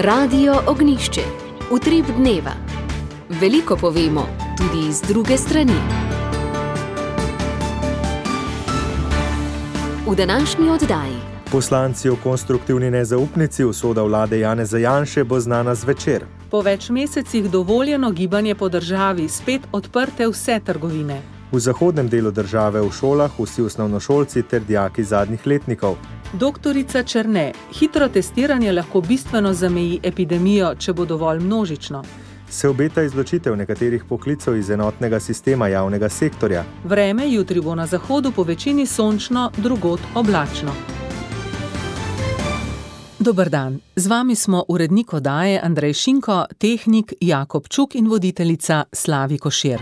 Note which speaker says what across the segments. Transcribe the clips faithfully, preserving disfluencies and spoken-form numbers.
Speaker 1: Radio Ognjišče. Utrip dneva. Veliko povemo, tudi iz druge strani. V današnji oddaji.
Speaker 2: Poslanci o konstruktivni nezaupnici usoda vlade Janeza Janše bo znana zvečer.
Speaker 3: Po več mesecih dovoljeno gibanje po državi, spet odprte vse trgovine.
Speaker 2: V zahodnem delu države v šolah vsi osnovnošolci ter dijaki zadnjih letnikov.
Speaker 3: Doktorica Černe, hitro testiranje lahko bistveno zameji epidemijo, če bo dovolj množično.
Speaker 2: Se obeta izločitev nekaterih poklicev iz enotnega sistema javnega sektorja.
Speaker 3: Vreme jutri bo na zahodu po večini sončno, drugod oblačno. Dober dan, z vami smo urednik oddaje Andrej Šinko, tehnik Jakob Čuk in voditeljica Slavi Košir.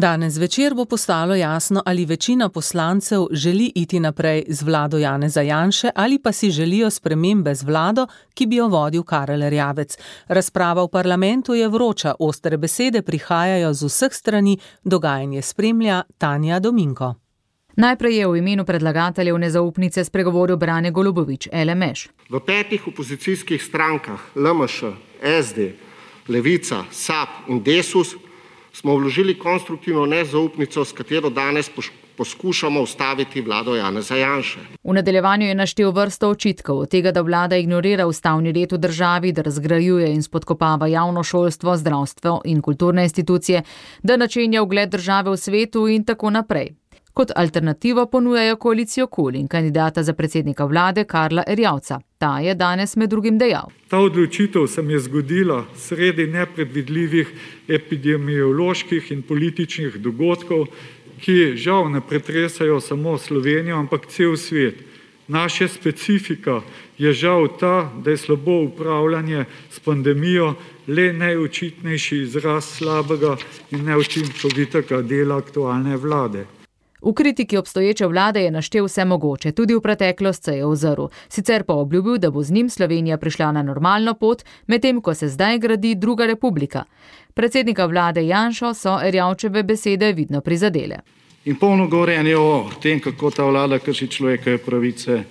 Speaker 3: Danes zvečer bo postalo jasno, ali večina poslancev želi iti naprej z vlado Janeza Janše ali pa si želijo spremembe z vlado, ki bi jo vodil Karel Erjavec. Razprava v parlamentu je vroča, ostre besede prihajajo z vseh strani, dogajanje spremlja Tanja Dominko.
Speaker 4: Najprej je v imenu predlagateljev nezaupnice spregovoril Brane Golubović, L M Š.
Speaker 5: V petih opozicijskih strankah L M Š, S D, Levica, S A P in Desus smo vložili konstruktivno nezaupnico, s katero danes poskušamo ustaviti vlado Janeza Janše.
Speaker 4: V nadaljevanju je naštel vrsto očitkov od tega, da vlada ignorira ustavni red v državi, da razgrajuje in spodkopava javno šolstvo, zdravstvo in kulturne institucije, da načenja ugled države v svetu in tako naprej. Kot alternativo ponujajo koalicijo KUL in kandidata za predsednika vlade Karla Erjavca. Ta je danes med drugim dejal.
Speaker 6: Ta odločitev se mi je zgodila sredi nepredvidljivih epidemioloških in političnih dogodkov, ki žal ne pretresajo samo Slovenijo, ampak cel svet. Naša specifika je žal ta, da je slabo upravljanje s pandemijo le najočitnejši izraz slabega in neučinkovitega dela aktualne vlade.
Speaker 4: V kritiki obstoječe vlade je naštel vse mogoče, tudi v preteklost se je ozrl. Sicer pa obljubil, da bo z njim Slovenija prišla na normalno pot, medtem ko se zdaj gradi druga republika. Predsednika vlade Janšo so Erjavčeve besede vidno prizadele.
Speaker 7: In polno govorjenje o tem, kako ta vlada krši človekove pravice,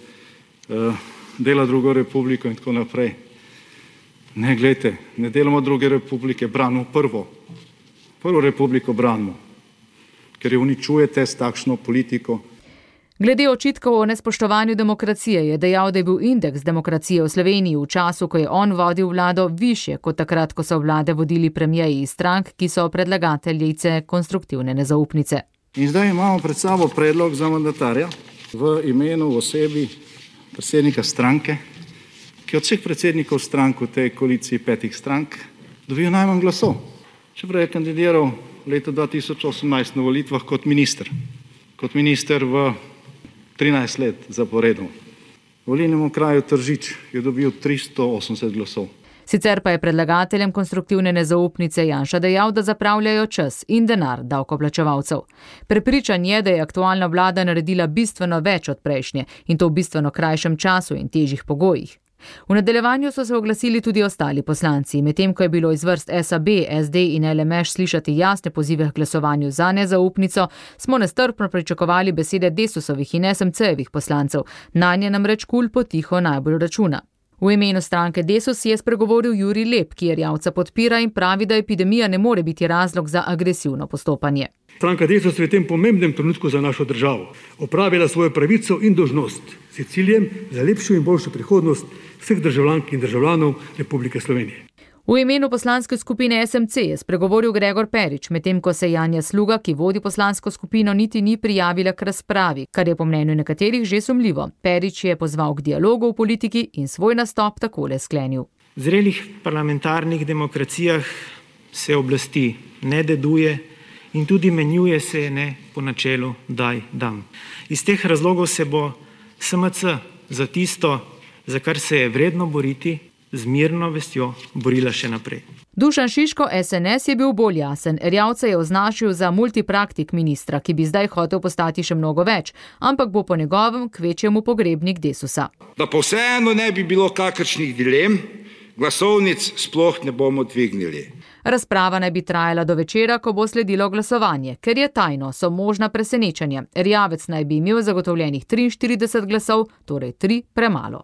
Speaker 7: dela drugo republiko in tako naprej. Ne, glejte, ne delamo druge republike, branimo prvo. Prvo republiko branimo. Ker jo uničujete s takšno politiko.
Speaker 4: Glede očitkov o nespoštovanju demokracije je dejal, da je bil indeks demokracije v Sloveniji v času, ko je on vodil vlado, višje kot takrat, ko so vlade vodili premijeji iz strank, ki so predlagateljice konstruktivne nezaupnice.
Speaker 7: In zdaj imamo pred sabo predlog za mandatarja v imenu osebi predsednika stranke, ki od vseh predsednikov strank v tej koaliciji petih strank dobijo najmanj glasov. Čeprav je kandidiral leta dva tisoč osemnajst na volitvah kot minister. Kot minister v trinajst let zaporedno. V volilnem okraju Tržič je dobil tristo osemdeset glasov.
Speaker 4: Sicer pa je predlagateljem konstruktivne nezaupnice Janša dejal, da zapravljajo čas in denar davkoplačevalcev. Prepričan je, da je aktualna vlada naredila bistveno več od prejšnje in to v bistveno krajšem času in težjih pogojih. V nadaljevanju so se oglasili tudi ostali poslanci, medtem ko je bilo iz vrst S A B, S D in L M Š slišati jasne pozive k glasovanju za nezaupnico, smo nestrpno pričakovali besede Desusovih in S M C-jevih poslancev, nanje namreč KUL potiho najbolj računa. V imenu stranke Desus je spregovoril Jurij Lep, ki Erjavca podpira in pravi, da epidemija ne more biti razlog za agresivno postopanje.
Speaker 8: Stranka Desus je v tem pomembnem trenutku za našo državo opravila svojo pravico in dolžnost s ciljem za lepšo in boljšo prihodnost vseh državljank in državljanov Republike Slovenije.
Speaker 4: V imenu poslanske skupine S M C je spregovoril Gregor Perič, medtem ko se Janja Sluga, ki vodi poslansko skupino, niti ni prijavila k razpravi, kar je po mnenju nekaterih že sumljivo. Perič je pozval k dialogu v politiki in svoj nastop takole sklenil.
Speaker 9: V zrelih parlamentarnih demokracijah se oblasti ne deduje in tudi menjuje se ne po načelu daj dam. Iz teh razlogov se bo S M C za tisto, za kar se je vredno boriti, z mirno vestjo borila še naprej.
Speaker 4: Dušan Šiško, S N S, je bil bolj jasen. Erjavca je označil za multipraktik ministra, ki bi zdaj hotel postati še mnogo več, ampak bo po njegovem kvečjemu pogrebnik Desusa.
Speaker 10: Da pa vseeno ne bi bilo kakršnih dilem, glasovnic sploh ne bomo dvignili.
Speaker 4: Razprava naj bi trajala do večera, ko bo sledilo glasovanje. Ker je tajno, so možna presenečenja. Erjavec naj bi imel zagotovljenih triinštirideset glasov, torej tri premalo.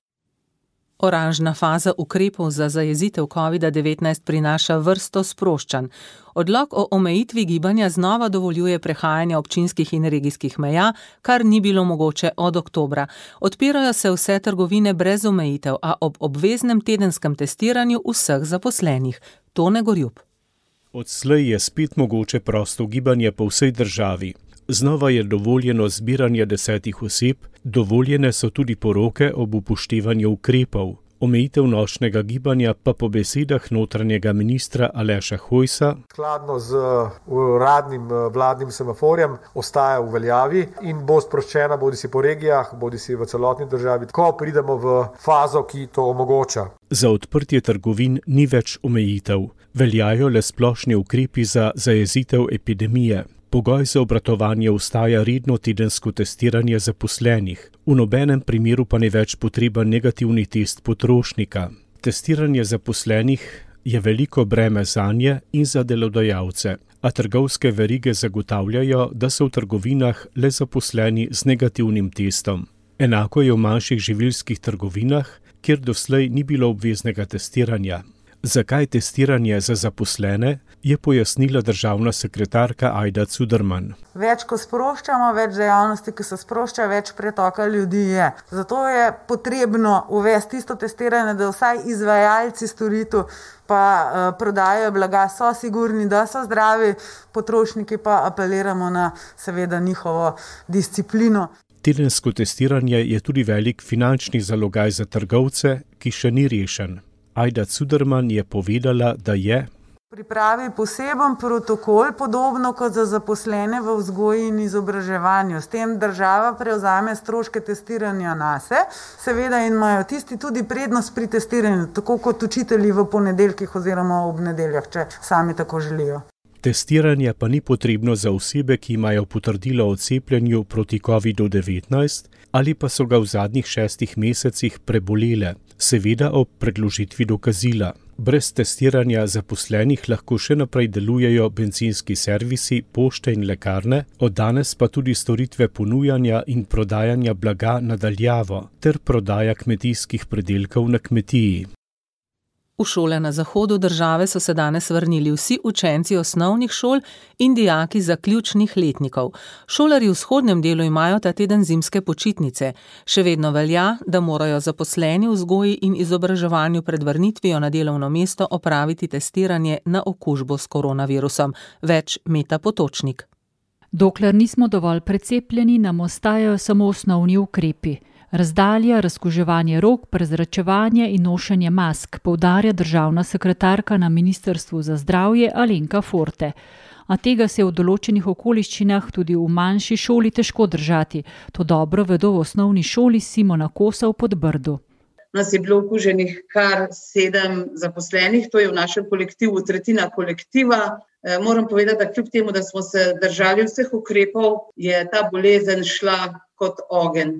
Speaker 3: Oranžna faza ukrepov za zajezitev covida devetnajst prinaša vrsto sproščanj. Odlok o omejitvi gibanja znova dovoljuje prehajanje občinskih in regijskih meja, kar ni bilo mogoče od oktobra. Odpirajo se vse trgovine brez omejitev, a ob obveznem tedenskem testiranju vseh zaposlenih. Tone Gorjup.
Speaker 10: Odslej je spet mogoče prosto gibanje po vsej državi. Znova je dovoljeno zbiranje desetih oseb, dovoljene so tudi poroke ob upoštevanju ukrepov. Omejitev nočnega gibanja pa po besedah notranjega ministra Aleša Hojsa
Speaker 11: skladno z uradnim vladnim semaforjem ostaja v veljavi in bo sproščena bodisi po regijah, bodisi v celotni državi, ko pridemo v fazo, ki to omogoča.
Speaker 10: Za odprtje trgovin ni več omejitev. Veljajo le splošni ukrepi za zajezitev epidemije. Pogoj za obratovanje ostaja redno tedensko testiranje zaposlenih. V nobenem primeru pa ne več potreben negativni test potrošnika. Testiranje zaposlenih je veliko breme zanje in za delodajalce, a trgovske verige zagotavljajo, da so v trgovinah le zaposleni z negativnim testom. Enako je v manjših živilskih trgovinah, kjer doslej ni bilo obveznega testiranja. Zakaj testiranje za zaposlene, je pojasnila državna sekretarka Ajda Cuderman.
Speaker 12: Več, ko sproščamo, več dejavnosti, ki se sprošča, več pretoka ljudi je. Zato je potrebno uvesti isto testiranje, da vsaj izvajalci storitev pa uh, prodajajo blaga so sigurni, da so zdravi, potrošniki pa apeliramo na seveda njihovo disciplino.
Speaker 10: Tedensko testiranje je tudi velik finančni zalogaj za trgovce, ki še ni rešen. Ajda Cuderman je povedala, da je
Speaker 12: pripravi poseben protokol, podobno kot za zaposlene v vzgoji in izobraževanju. S tem država prevzame stroške testiranja nase, seveda in imajo tisti tudi prednost pri testiranju, tako kot učitelji v ponedeljkih oziroma ob nedeljah, če sami tako želijo.
Speaker 10: Testiranje pa ni potrebno za osebe, ki imajo potrdilo o cepljenju proti covidu devetnajst ali pa so ga v zadnjih šestih mesecih prebolele, seveda ob predložitvi dokazila. Brez testiranja zaposlenih lahko še naprej delujejo bencinski servisi, pošte in lekarne, od danes pa tudi storitve ponujanja in prodajanja blaga na daljavo ter prodaja kmetijskih pridelkov na kmetiji.
Speaker 3: V šole na zahodu države so se danes vrnili vsi učenci osnovnih šol in dijaki zaključnih letnikov. Šolarji v vzhodnem delu imajo ta teden zimske počitnice. Še vedno velja, da morajo zaposleni v vzgoji in izobraževanju pred vrnitvijo na delovno mesto opraviti testiranje na okužbo s koronavirusom. Več Meta Potočnik.
Speaker 13: Dokler nismo dovolj precepljeni, nam ostajajo samo osnovni ukrepi. Razdalja, razkuževanje rok, prezračevanje in nošenje mask, poudarja državna sekretarka na Ministrstvu za zdravje Alenka Forte. A tega se v določenih okoliščinah tudi v manjši šoli težko držati. To dobro vedo v osnovni šoli Simona Kosa v Podbrdu.
Speaker 14: Nas je bilo okuženih kar sedem zaposlenih, to je v našem kolektivu tretjina kolektiva. E, moram povedati, da kljub temu, da smo se držali vseh ukrepov, je ta bolezen šla kot ogenj.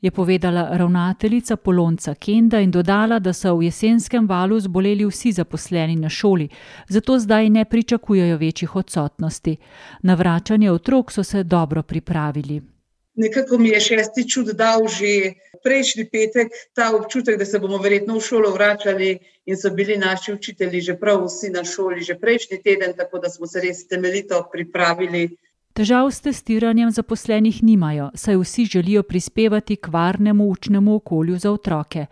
Speaker 13: Je povedala ravnateljica Polonca Kenda in dodala, da so v jesenskem valu zboleli vsi zaposleni na šoli, zato zdaj ne pričakujejo večjih odsotnosti. Na vračanje otrok so se dobro pripravili.
Speaker 14: Nekako mi je šesti čut dal že prejšnji petek ta občutek, da se bomo verjetno v šolo vračali in so bili naši učitelji že prav vsi na šoli že prejšnji teden, tako da smo se res temeljito pripravili.
Speaker 13: Težav s testiranjem zaposlenih nimajo, saj vsi želijo prispevati k varnemu učnemu okolju za otroke.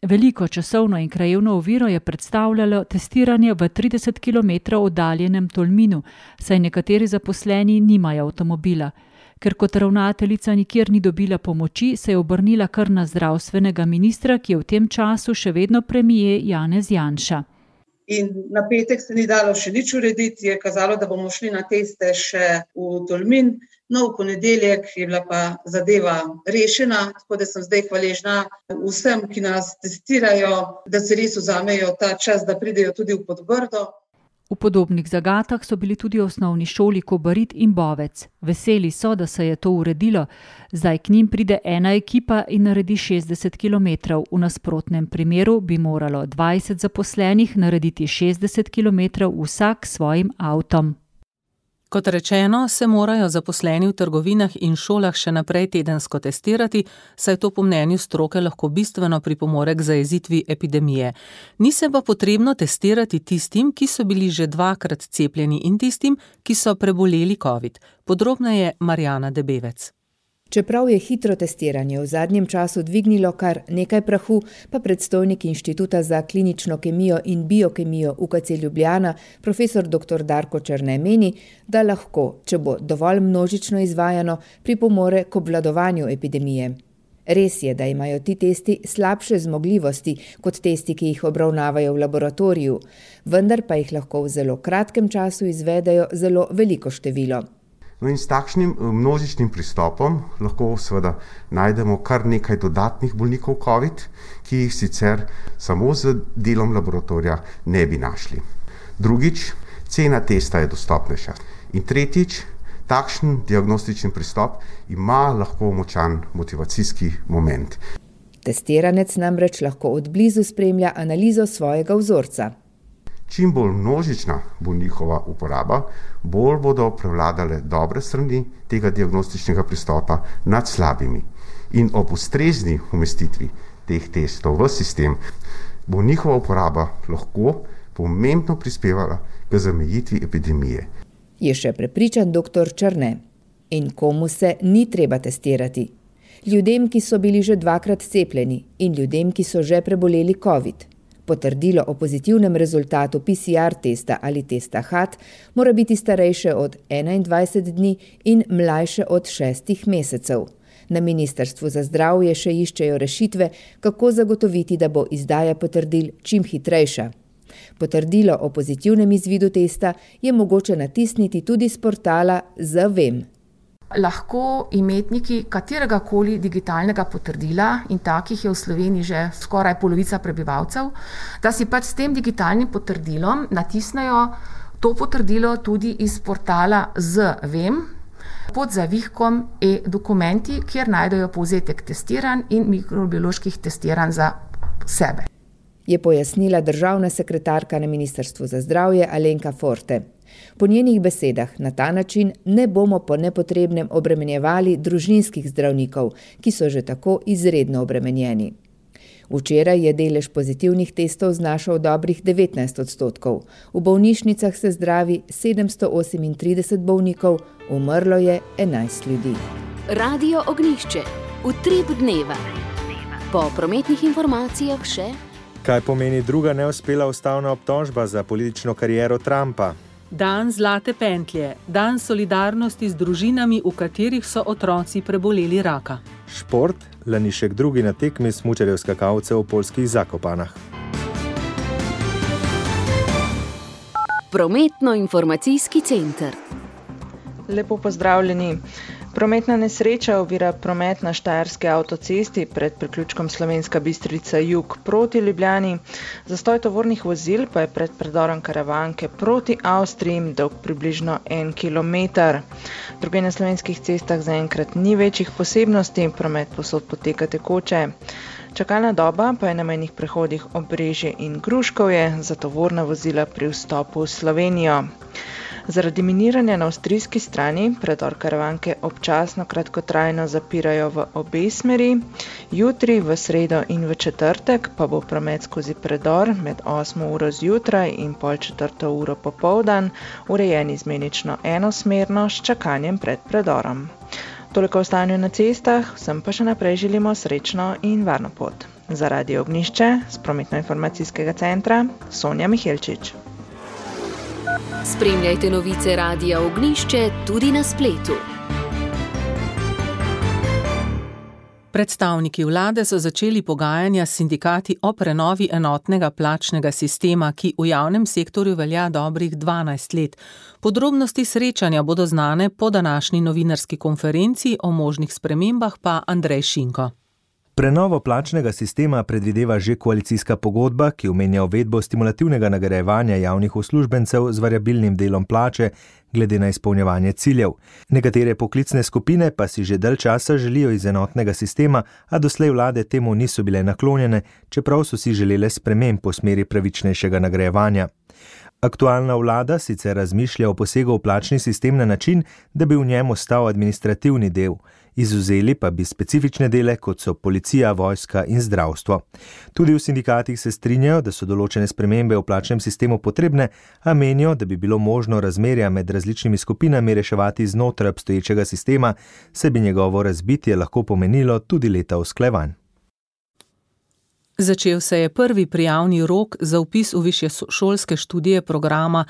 Speaker 13: Veliko časovno in krajevno oviro je predstavljalo testiranje v trideset kilometrov oddaljenem Tolminu, saj nekateri zaposleni nimajo avtomobila. Ker kot ravnateljica nikjer ni dobila pomoči, se je obrnila kar na zdravstvenega ministra, ki je v tem času še vedno premier Janez Janša.
Speaker 14: In na petek se ni dalo še nič urediti, je kazalo, da bomo šli na teste še v Tolmin. No, v ponedeljek je bila pa zadeva rešena, tako da sem zdaj hvaležna vsem, ki nas testirajo, da se res vzamejo ta čas, da pridejo tudi v Podbrdo.
Speaker 13: V podobnih zagatah so bili tudi osnovni šoli Kobarid in Bovec. Veseli so, da se je to uredilo. Zdaj k njim pride ena ekipa in naredi šestdeset kilometrov. V nasprotnem primeru bi moralo dvajset zaposlenih narediti šestdeset kilometrov vsak s svojim avtom.
Speaker 3: Kot rečeno, se morajo zaposleni v trgovinah in šolah še naprej tedensko testirati, saj to po mnenju stroke lahko bistveno pripomore k zajezitvi epidemije. Ni se pa potrebno testirati tistim, ki so bili že dvakrat cepljeni in tistim, ki so preboleli covid. Podrobneje Marjana Debevec.
Speaker 15: Čeprav je hitro testiranje v zadnjem času dvignilo kar nekaj prahu, pa predstojnik Inštituta za klinično kemijo in biokemijo U K C Ljubljana, profesor doktor Darko Černe meni, da lahko, če bo dovolj množično izvajano, pripomore k obvladovanju epidemije. Res je, da imajo ti testi slabše zmogljivosti kot testi, ki jih obravnavajo v laboratoriju, vendar pa jih lahko v zelo kratkem času izvedejo zelo veliko število.
Speaker 16: No in s takšnim množičnim pristopom lahko seveda najdemo kar nekaj dodatnih bolnikov COVID, ki jih sicer samo z delom laboratorija ne bi našli. Drugič, cena testa je dostopnejša. In tretjič, takšen diagnostični pristop ima lahko močan motivacijski moment.
Speaker 15: Testiranec namreč lahko od blizu spremlja analizo svojega vzorca.
Speaker 16: Čim bolj množična bo njihova uporaba, bolj bodo prevladale dobre strani tega diagnostičnega pristopa nad slabimi. In ob ustrezni umestitvi teh testov v sistem bo njihova uporaba lahko pomembno prispevala k zamejitvi epidemije.
Speaker 15: Je še prepričan doktor Černe. In komu se ni treba testirati? Ljudem, ki so bili že dvakrat cepljeni in ljudem, ki so že preboleli COVID. Potrdilo o pozitivnem rezultatu P C R testa ali testa H A T mora biti starejše od enaindvajset dni in mlajše od šestih mesecev. Na Ministrstvu za zdravje še iščejo rešitve, kako zagotoviti, da bo izdaja potrdil čim hitrejša. Potrdilo o pozitivnem izvidu testa je mogoče natisniti tudi s portala Zavem.
Speaker 17: Lahko imetniki katerega koli digitalnega potrdila, in takih je v Sloveniji že skoraj polovica prebivalcev, da si pač s tem digitalnim potrdilom natisnejo to potrdilo tudi iz portala Zavem pod zavihkom e-dokumenti, kjer najdejo povzetek testiranj in mikrobioloških testiranj za sebe.
Speaker 15: Je pojasnila državna sekretarka na Ministrstvu za zdravje Alenka Forte. Po njenih besedah na ta način ne bomo po nepotrebnem obremenjevali družinskih zdravnikov, ki so že tako izredno obremenjeni. Včeraj je delež pozitivnih testov znašal dobrih devetnajst odstotkov. V bolnišnicah se zdravi sedemsto osemintrideset bolnikov, umrlo je enajst ljudi.
Speaker 1: Radio Ognjišče. Utrip dneva. Po prometnih informacijah še...
Speaker 2: Kaj pomeni druga neuspela ustavna obtožba za politično kariero Trumpa?
Speaker 3: Dan zlate pentlje, dan solidarnosti z družinami, v katerih so otroci preboleli raka.
Speaker 2: Šport, Lanišek drugi na tekmi smučarjev skakalcev v poljskih Zakopanah.
Speaker 1: Prometno-informacijski center.
Speaker 18: Lepo pozdravljeni. Prometna nesreča ovira promet na štajerski avtocesti pred priključkom Slovenska Bistrica jug proti Ljubljani. Zastoj tovornih vozil pa je pred predorom Karavanke proti Avstriji dolg približno en kilometer. Druge na slovenskih cestah zaenkrat ni večjih posebnosti, promet povsod poteka tekoče. Čakalna doba pa je na mejnih prehodih Obrežje in Gruškovje za tovorna vozila pri vstopu v Slovenijo. Zaradi miniranja na avstrijski strani predor Karavanke občasno kratkotrajno zapirajo v obe smeri. Jutri, v sredo in v četrtek pa bo promet skozi predor med osmo uro zjutraj in pol četrto uro popoldan urejen izmenično enosmerno s čakanjem pred predorom. Toliko o stanju na cestah, vsem pa še naprej želimo srečno in varno pot. Za Radio Ognjišče z prometno-informacijskega centra Sonja Mihelčič.
Speaker 1: Spremljajte novice Radia Ognjišče tudi na spletu.
Speaker 3: Predstavniki vlade so začeli pogajanja s sindikati o prenovi enotnega plačnega sistema, ki v javnem sektorju velja dobrih dvanajst let. Podrobnosti srečanja bodo znane po današnji novinarski konferenci, o možnih spremembah pa Andrej Šinko.
Speaker 2: Prenovo plačnega sistema predvideva že koalicijska pogodba, ki omenja uvedbo stimulativnega nagrajevanja javnih uslužbencev z variabilnim delom plače glede na izpolnjevanje ciljev. Nekatere poklicne skupine pa si že dalj časa želijo iz enotnega sistema, a doslej vlade temu niso bile naklonjene, čeprav so si želele sprememb po smeri pravičnejšega nagrajevanja. Aktualna vlada sicer razmišlja o posegu v plačni sistem na način, da bi v njem ostal administrativni del. Izvzeli pa bi specifične dele, kot so policija, vojska in zdravstvo. Tudi v sindikatih se strinjajo, da so določene spremembe v plačnem sistemu potrebne, a menijo, da bi bilo možno razmerja med različnimi skupinami reševati znotraj obstoječega sistema, saj bi njegovo razbitje lahko pomenilo tudi leta usklajevanj.
Speaker 3: Začel se je prvi prijavni rok za vpis v višješolske študije programa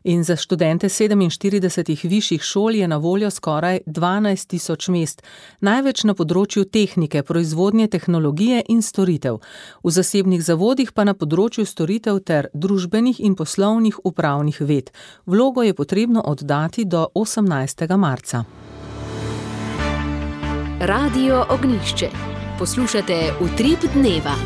Speaker 3: in za študente sedeminštiridesetih višjih šol je na voljo skoraj dvanajst tisoč mest, največ na področju tehnike, proizvodnje tehnologije in storitev, v zasebnih zavodih pa na področju storitev ter družbenih in poslovnih upravnih ved. Vlogo je potrebno oddati do osemnajstega marca.
Speaker 1: Radio Ognjišče. Poslušate Utrip dneva.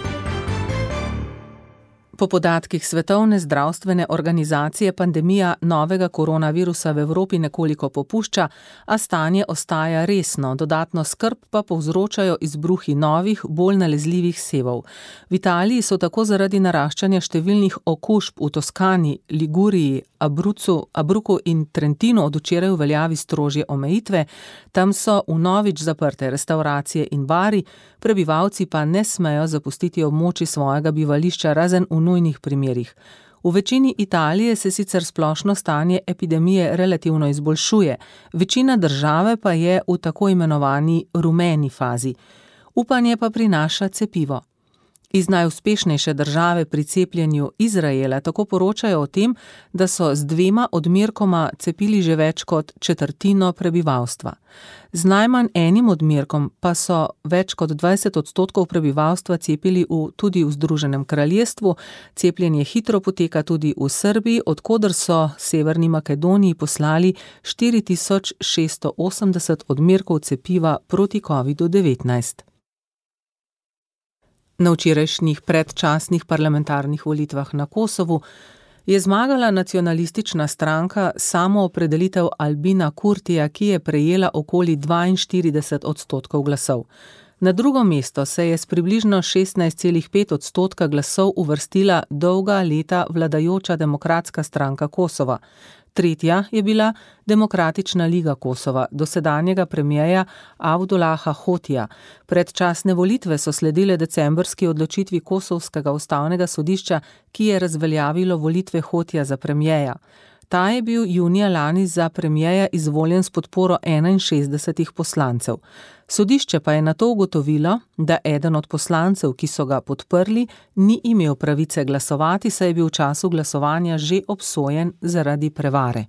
Speaker 3: Po podatkih Svetovne zdravstvene organizacije pandemija novega koronavirusa v Evropi nekoliko popušča, a stanje ostaja resno, dodatno skrb pa povzročajo izbruhi novih, bolj nalezljivih sevov. V Italiji so tako zaradi naraščanja številnih okužb v Toskani, Liguriji, Abruzzu, Abruku in Trentinu od včeraj v veljavi strožje omejitve, tam so vnovič zaprte restauracije in bari, prebivalci pa ne smejo zapustiti območij svojega bivališča razen v nujnih primerih. V večini Italije se sicer splošno stanje epidemije relativno izboljšuje, večina države pa je v tako imenovani rumeni fazi. Upanje pa prinaša cepivo. Iz najuspešnejše države pri cepljenju Izraela tako poročajo o tem, da so z dvema odmerkoma cepili že več kot četrtino prebivalstva. Z najmanj enim odmerkom pa so več kot dvajset odstotkov prebivalstva cepili v, tudi v Združenem kraljestvu. Cepljenje hitro poteka tudi v Srbiji, od koder so Severni Makedoniji poslali štiri tisoč šeststo osemdeset odmerkov cepiva proti kovidu devetnajst. Na včerajšnjih predčasnih parlamentarnih volitvah na Kosovu je zmagala nacionalistična stranka Samoopredelitev Albina Kurtija, ki je prejela okoli dvainštirideset odstotkov glasov. Na drugo mesto se je s približno šestnajst celih pet odstotka glasov uvrstila dolga leta vladajoča Demokratska stranka Kosova. Tretja je bila Demokratična liga Kosova, dosedanjega premijeja Avdulaha Hotija. Predčasne volitve so sledile decembrski odločitvi Kosovskega ustavnega sodišča, ki je razveljavilo volitve Hotija za premijeja. Ta je bil junija lani za premijeja izvoljen s podporo enainšestdesetih poslancev. Sodišče pa je nato ugotovilo, da eden od poslancev, ki so ga podprli, ni imel pravice glasovati, saj je bil v času glasovanja že obsojen zaradi prevare.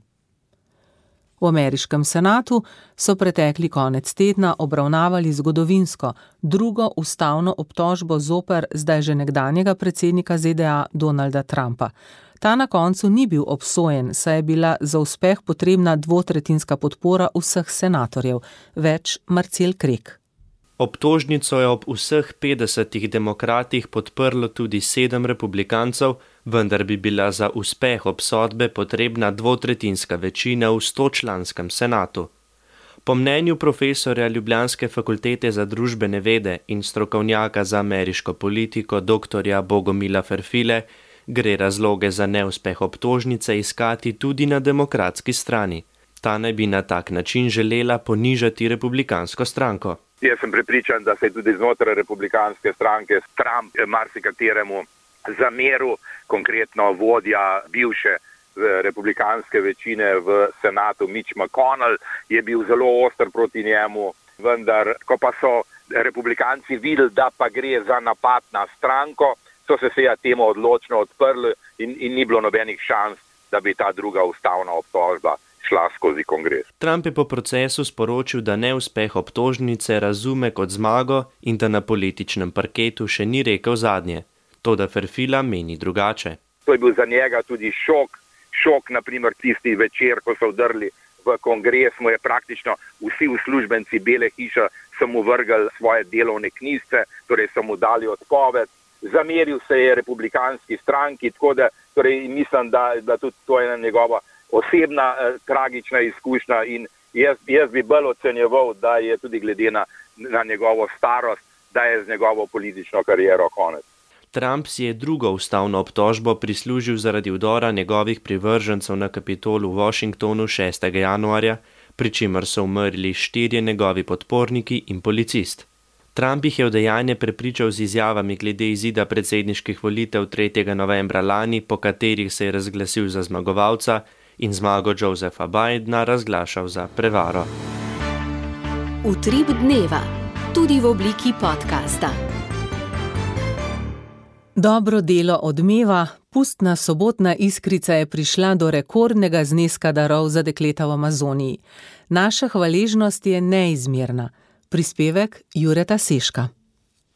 Speaker 3: V ameriškem senatu so pretekli konec tedna obravnavali zgodovinsko drugo ustavno obtožbo zoper zdaj že nekdanjega predsednika Z D A Donalda Trumpa. Ta na koncu ni bil obsojen, saj je bila za uspeh potrebna dvotretjinska podpora vseh senatorjev. Več Marcel Krek.
Speaker 19: Obtožnico je ob vseh petdesetih demokratih podprlo tudi sedem republikancev, vendar bi bila za uspeh obsodbe potrebna dvotretjinska večina v stočlanskem senatu. Po mnenju profesorja Ljubljanske fakultete za družbene vede in strokovnjaka za ameriško politiko doktorja Bogomila Ferfile, gre razloge za neuspeh obtožnice iskati tudi na demokratski strani. Ta naj bi na tak način želela ponižati republikansko stranko.
Speaker 20: Jaz sem prepričan, da se je tudi znotraj republikanske stranke Trump marsikateremu zameril, konkretno vodja bivše republikanske večine v senatu Mitch McConnell je bil zelo oster proti njemu, vendar ko pa so republikanci videli, da pa gre za napad na stranko, so se seja temu odločno odprli in, in ni bilo nobenih šans, da bi ta druga ustavna obtožba šla skozi kongres.
Speaker 19: Trump je po procesu sporočil, da neuspeh obtožnice razume kot zmago in da na političnem parketu še ni rekel zadnje. Toda Ferfila meni drugače.
Speaker 20: To je bil za njega tudi šok, šok naprimer tisti večer, ko so vdrli v kongres, mu je praktično vsi uslužbenci Bele hiše so mu vrgli svoje delovne knjižice, torej so mu dali odpoved, zameril se je republikanski stranki, tako da torej mislim, da, da tudi to je njegova osebna eh, tragična izkušnja in jaz, jaz bi bolj ocenjeval, da je tudi glede na, na njegovo starost, da je z njegovo politično kariero konec.
Speaker 19: Trump si je drugo ustavno obtožbo prislužil zaradi vdora njegovih privržencev na Kapitol v Washingtonu šestega januarja, pri čemer so umrli štirje njegovi podporniki in policist. Trump jih je v dejanje prepričal z izjavami glede izida predsedniških volitev tretjega novembra lani, po katerih se je razglasil za zmagovalca in zmago Josepha Bidena razglašal za prevaro.
Speaker 1: Utrip dneva, tudi v obliki podcasta.
Speaker 3: Dobro delo odmeva, pustna sobotna iskrica je prišla do rekordnega zneska darov za dekleta v Amazoniji. Naša hvaležnost je neizmerna. Prispevek Jureta Seška.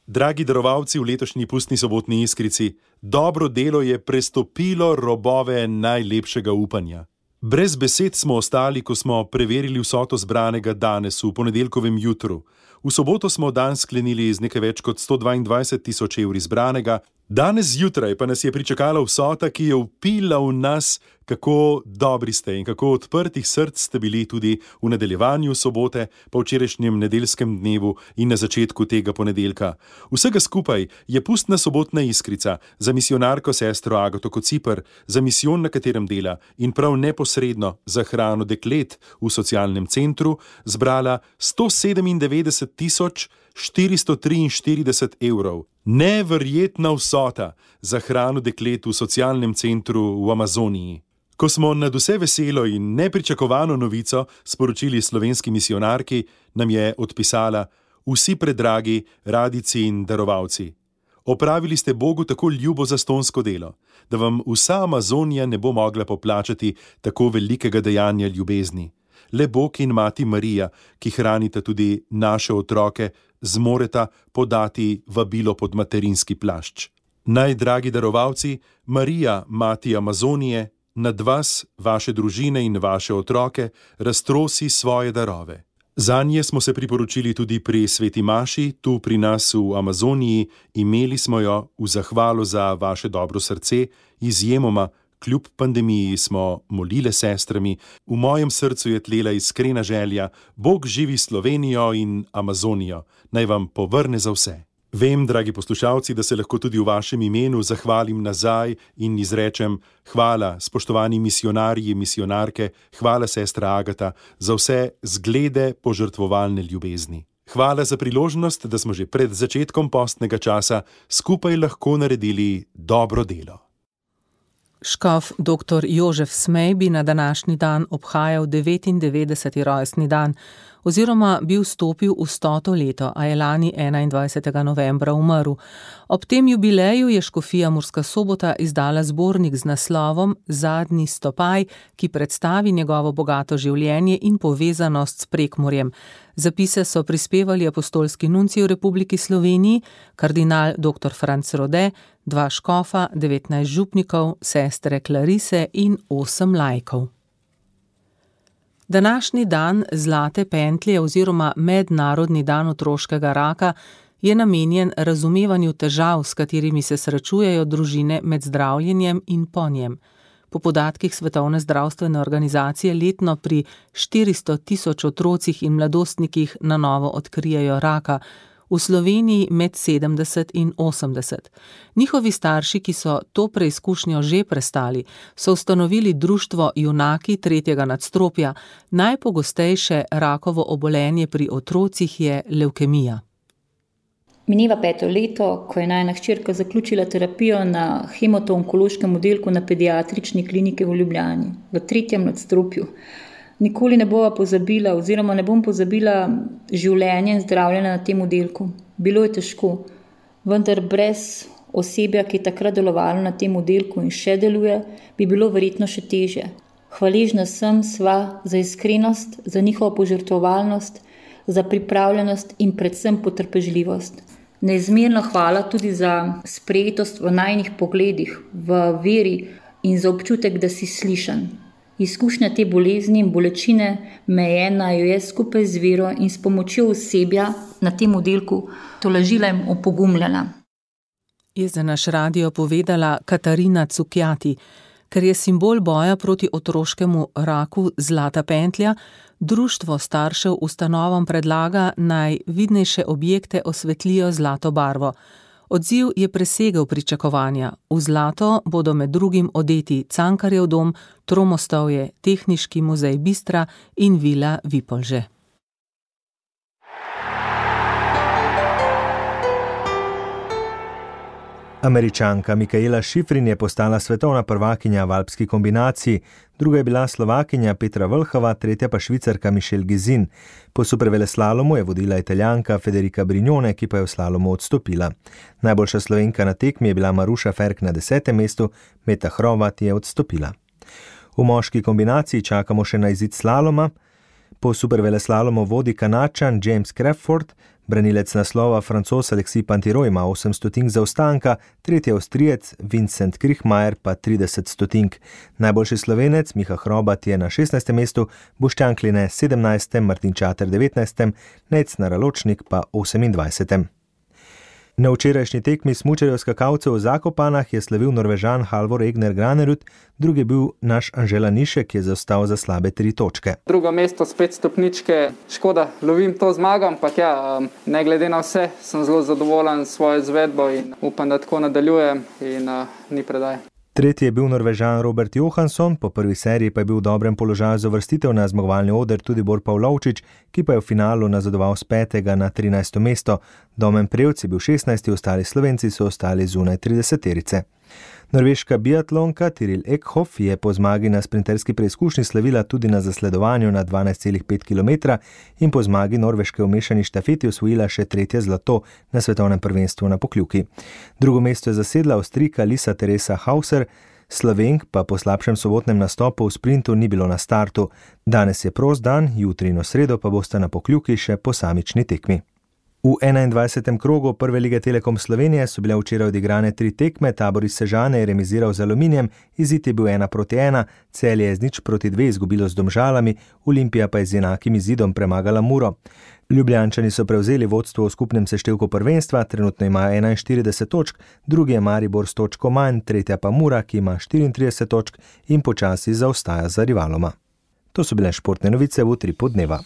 Speaker 21: Dragi darovalci v letošnji pustni sobotni iskrici, dobro delo je prestopilo robove najlepšega upanja. Brez besed smo ostali, ko smo preverili vsoto zbranega danes v ponedeljkovem jutru. V soboto smo dan sklenili z nekaj več kot sto dvaindvajset tisoč evri zbranega, danes zjutraj pa nas je pričakala vsota, ki je vpila v nas, kako dobri ste in kako odprtih src ste bili tudi v nadaljevanju sobote, po včerajšnjem nedeljskem dnevu in na začetku tega ponedeljka. Vsega skupaj je pustna sobotna iskrica za misijonarko sestro Agato Kociper, za misijon, na katerem dela in prav neposredno za hrano deklet v socialnem centru, zbrala sto sedemindevetdeset tisoč štiristo triinštirideset evrov. Neverjetna vsota za hrano deklet v socialnem centru v Amazoniji. Ko smo nad vse veselo in nepričakovano novico sporočili slovenski misijonarki, nam je odpisala: vsi predragi radici in darovalci. Opravili ste Bogu tako ljubo zastonsko delo, da vam vsa Amazonija ne bo mogla poplačati tako velikega dejanja ljubezni. Le Bog in Mati Marija, ki hranita tudi naše otroke, zmoreta podati vabilo pod materinski plašč. Naj, dragi darovalci, Marija, Mati Amazonije, nad vas, vaše družine in vaše otroke raztrosi svoje darove. Zanje smo se priporočili tudi pri Sveti Maši, tu pri nas v Amazoniji, imeli smo jo v zahvalo za vaše dobro srce, izjemoma, kljub pandemiji smo molile sestrami, v mojem srcu je tlela iskrena želja, Bog živi Slovenijo in Amazonijo, naj vam povrne za vse. Vem, dragi poslušalci, da se lahko tudi v vašem imenu zahvalim nazaj in izrečem hvala, spoštovani misijonarji, misijonarke, hvala sestra Agata, za vse zglede požrtvovalne ljubezni. Hvala za priložnost, da smo že pred začetkom postnega časa skupaj lahko naredili dobro delo.
Speaker 3: Škof doktor Jožef Smej bi na današnji dan obhajal devetindevetdeseti rojstni dan, oziroma bi vstopil v stoto leto, a je lani enaindvajsetega novembra umrl. Ob tem jubileju je škofija Murska Sobota izdala zbornik z naslovom Zadnji stopaj, ki predstavi njegovo bogato življenje in povezanost s Prekmurjem. Zapise so prispevali apostolski nuncij v Republiki Sloveniji, kardinal doktor Franc Rode, dva škofa, devetnajst župnikov, sestre Klarise in osem laikov. Današnji dan Zlate pentlje oziroma Mednarodni dan otroškega raka je namenjen razumevanju težav, s katerimi se srečujejo družine med zdravljenjem in po njem. Po podatkih Svetovne zdravstvene organizacije letno pri štiristo tisoč otrocih in mladostnikih na novo odkrijejo raka, v Sloveniji med sedemdeset in osemdeset. Njihovi starši, ki so to preizkušnjo že prestali, so ustanovili društvo Junaki tretjega nadstropja. Najpogostejše rakovo obolenje pri otrocih je levkemija.
Speaker 22: Mineva peto leto, ko je najina hčerka zaključila terapijo na hematoonkološkem oddelku na pediatrični kliniki v Ljubljani, v tretjem nadstropju. Nikoli ne bova pozabila oziroma ne bom pozabila življenje in zdravljenja na tem oddelku. Bilo je težko, vendar brez osebja, ki je takrat delovalo na tem oddelku in še deluje, bi bilo verjetno še težje. Hvaležna sem sva za iskrenost, za njihovo požrtvovalnost, za pripravljenost in predvsem potrpežljivost. Neizmerno hvala tudi za sprejetost v najinih pogledih, v veri in za občutek, da si slišan. Izkušnja te bolezni in bolečine me je ena jo je skupaj z vero in s pomočjo osebja na tem oddelku tolažila in opogumljala.
Speaker 3: Je za naš radio povedala Katarina Cukjati. Ker je simbol boja proti otroškemu raku zlata pentlja, društvo staršev ustanovam predlaga, naj vidnejše objekte osvetlijo zlato barvo. Odziv je presegel pričakovanja. V zlato bodo med drugim odeti Cankarjev dom, Tromostovje, Tehniški muzej Bistra in Vila Vipolže.
Speaker 2: Američanka Mikaela Šifrin je postala svetovna prvakinja v alpski kombinaciji, druga je bila Slovakinja Petra Vlhova, tretja pa Švicarka Michelle Gizin. Po superveleslalomu je vodila Italijanka Federica Brignone, ki pa je v slalomu odstopila. Najboljša Slovenka na tekmi je bila Maruša Ferk na desetem mestu, Meta Hrovat je odstopila. V moški kombinaciji čakamo še na izid slaloma. Po superveleslalomu vodi Kanačan James Crawford, branilec naslova Francoz Alexis Pantiro ima osem stotink zaostanka, tretji Avstrijec Vincent Krichmajer pa trideset stotink. Najboljši Slovenec Miha Hrobat je na šestnajstem mestu, Boštjan Kline sedemnajstem, Martin Čater devetnajstem, Nec Naraločnik pa osemindvajsetem. Na včerajšnji tekmi smučarjev skakalcev v Zakopanah je slavil Norvežan Halvor Egner Granerud, drugi je bil naš Anžela Nišek, ki je zaostal za slabe tri točke.
Speaker 5: Drugo mesto, spet stopničke, škoda, lovim to zmago, ampak ja, ne glede na vse, sem zelo zadovoljen s svojo izvedbo in upam, da tako nadaljujem in uh, ni predaj.
Speaker 2: Tretji je bil Norvežan Robert Johansson, po prvi seriji pa je bil v dobrem položaju za uvrstitev na zmagovalni oder tudi Bor Pavlovčič, ki pa je v finalu nazadoval s petega na trinajsto mesto. Domen Prevc je bil šestnajsti, ostali Slovenci so ostali zunaj trideseterice. Norveška biatlonka Tiril Ekhoff je po zmagi na sprinterski preizkušnji slavila tudi na zasledovanju na dvanajst celih pet kilometra in po zmagi Norveške v mešani štafeti osvojila še tretje zlato na svetovnem prvenstvu na Pokljuki. Drugo mesto je zasedla Avstrijka Lisa Teresa Hauser, Slovenk pa po slabšem sobotnem nastopu v sprintu ni bilo na startu. Danes je prost dan, jutri in v sredo pa bosta na Pokljuki še posamični tekmi. V enaindvajsetem krogu Prve lige Telekom Slovenije so bile včeraj odigrane tri tekme, Tabor iz Sežane je remiziral z Aluminijem, izid je bil ena proti ena, Celje je z nič proti dve izgubilo z Domžalami, Olimpija pa je z enakim izidom premagala Muro. Ljubljančani so prevzeli vodstvo v skupnem seštevku prvenstva, trenutno imajo enainštirideset točk, drugi je Maribor s točko manj, tretja pa Mura, ki ima štiriintrideset točk in počasi zaostaja za rivaloma. To so bile športne novice v Utripu dneva.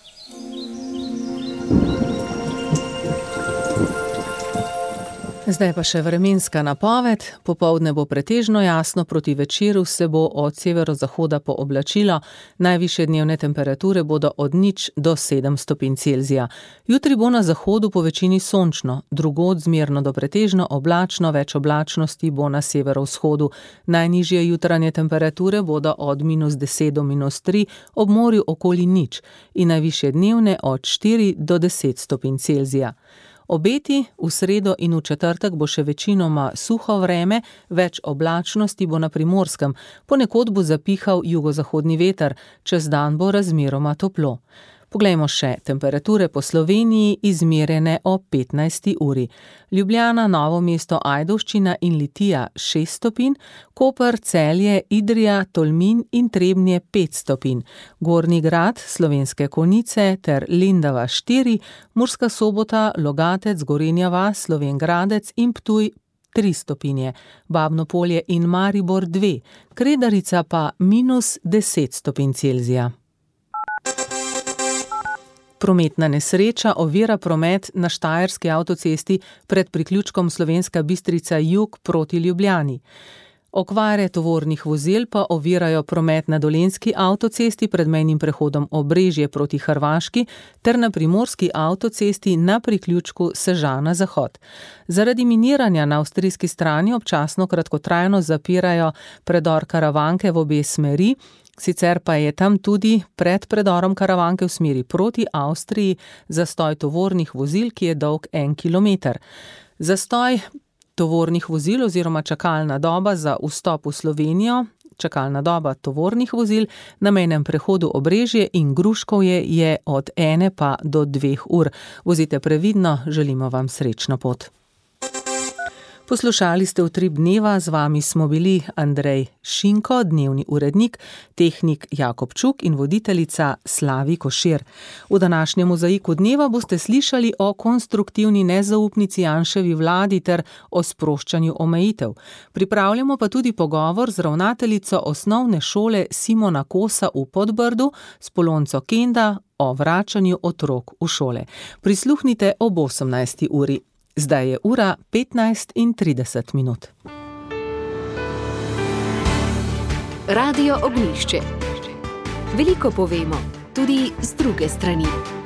Speaker 3: Zdaj pa še vremenska napoved. Popoldne bo pretežno jasno, proti večeru se bo od severozahoda pooblačilo, najvišje dnevne temperature bodo od nič do sedem stopinj Celzija. Jutri bo na zahodu po večini sončno, drugod zmerno do pretežno oblačno, več oblačnosti bo na severovzhodu. Najnižje jutranje temperature bodo od minus deset do minus tri, ob morju okoli nič in najvišje dnevne od štiri do deset stopinj Celzija. Obeti v sredo in v četrtek bo še večinoma suho vreme, več oblačnosti bo na Primorskem, ponekod bo zapihal jugozahodni veter, čez dan bo razmeroma toplo. Poglejmo še temperature po Sloveniji izmerjene o petnajsti uri. Ljubljana, Novo mesto, Ajdovščina in Litija šest stopinj, Koper, Celje, Idrija, Tolmin in Trebnje pet stopinj, Gornji Grad, Slovenske Konjice ter Lendava štiri, Murska Sobota, Logatec, Gorenja vas, Slovenj Gradec in Ptuj tri stopinje, Babno Polje in Maribor dve, Kredarica pa minus deset stopinj Celzija. Prometna nesreča ovira promet na Štajerski avtocesti pred priključkom Slovenska Bistrica jug proti Ljubljani. Okvare tovornih vozil pa ovirajo promet na Dolenjski avtocesti pred mejnim prehodom Obrežje proti Hrvaški ter na Primorski avtocesti na priključku Sežana-Zahod. Zaradi miniranja na avstrijski strani občasno kratkotrajno zapirajo predor Karavanke v obe smeri, sicer pa je tam tudi pred predorom Karavanke v smeri proti Avstriji zastoj tovornih vozil, ki je dolg en kilometer. Zastoj tovornih vozil oziroma čakalna doba za vstop v Slovenijo, čakalna doba tovornih vozil na mejnem prehodu Obrežje in Gruškovje je od ene pa do dveh ur. Vozite previdno, želimo vam srečno pot. Poslušali ste Utrip dneva, z vami smo bili Andrej Šinko, dnevni urednik, tehnik Jakob Čuk in voditeljica Slavi Košir. V današnjem mozaiku dneva boste slišali o konstruktivni nezaupnici Janševi vladi ter o sproščanju omejitev. Pripravljamo pa tudi pogovor z ravnateljico osnovne šole Simona Kosa v Podbrdu s Polonco Kenda o vračanju otrok v šole. Prisluhnite ob osemnajsti uri. Zdaj je ura petnajst in trideset minut.
Speaker 1: Radio Ognjišče. Veliko povemo, tudi z druge strani.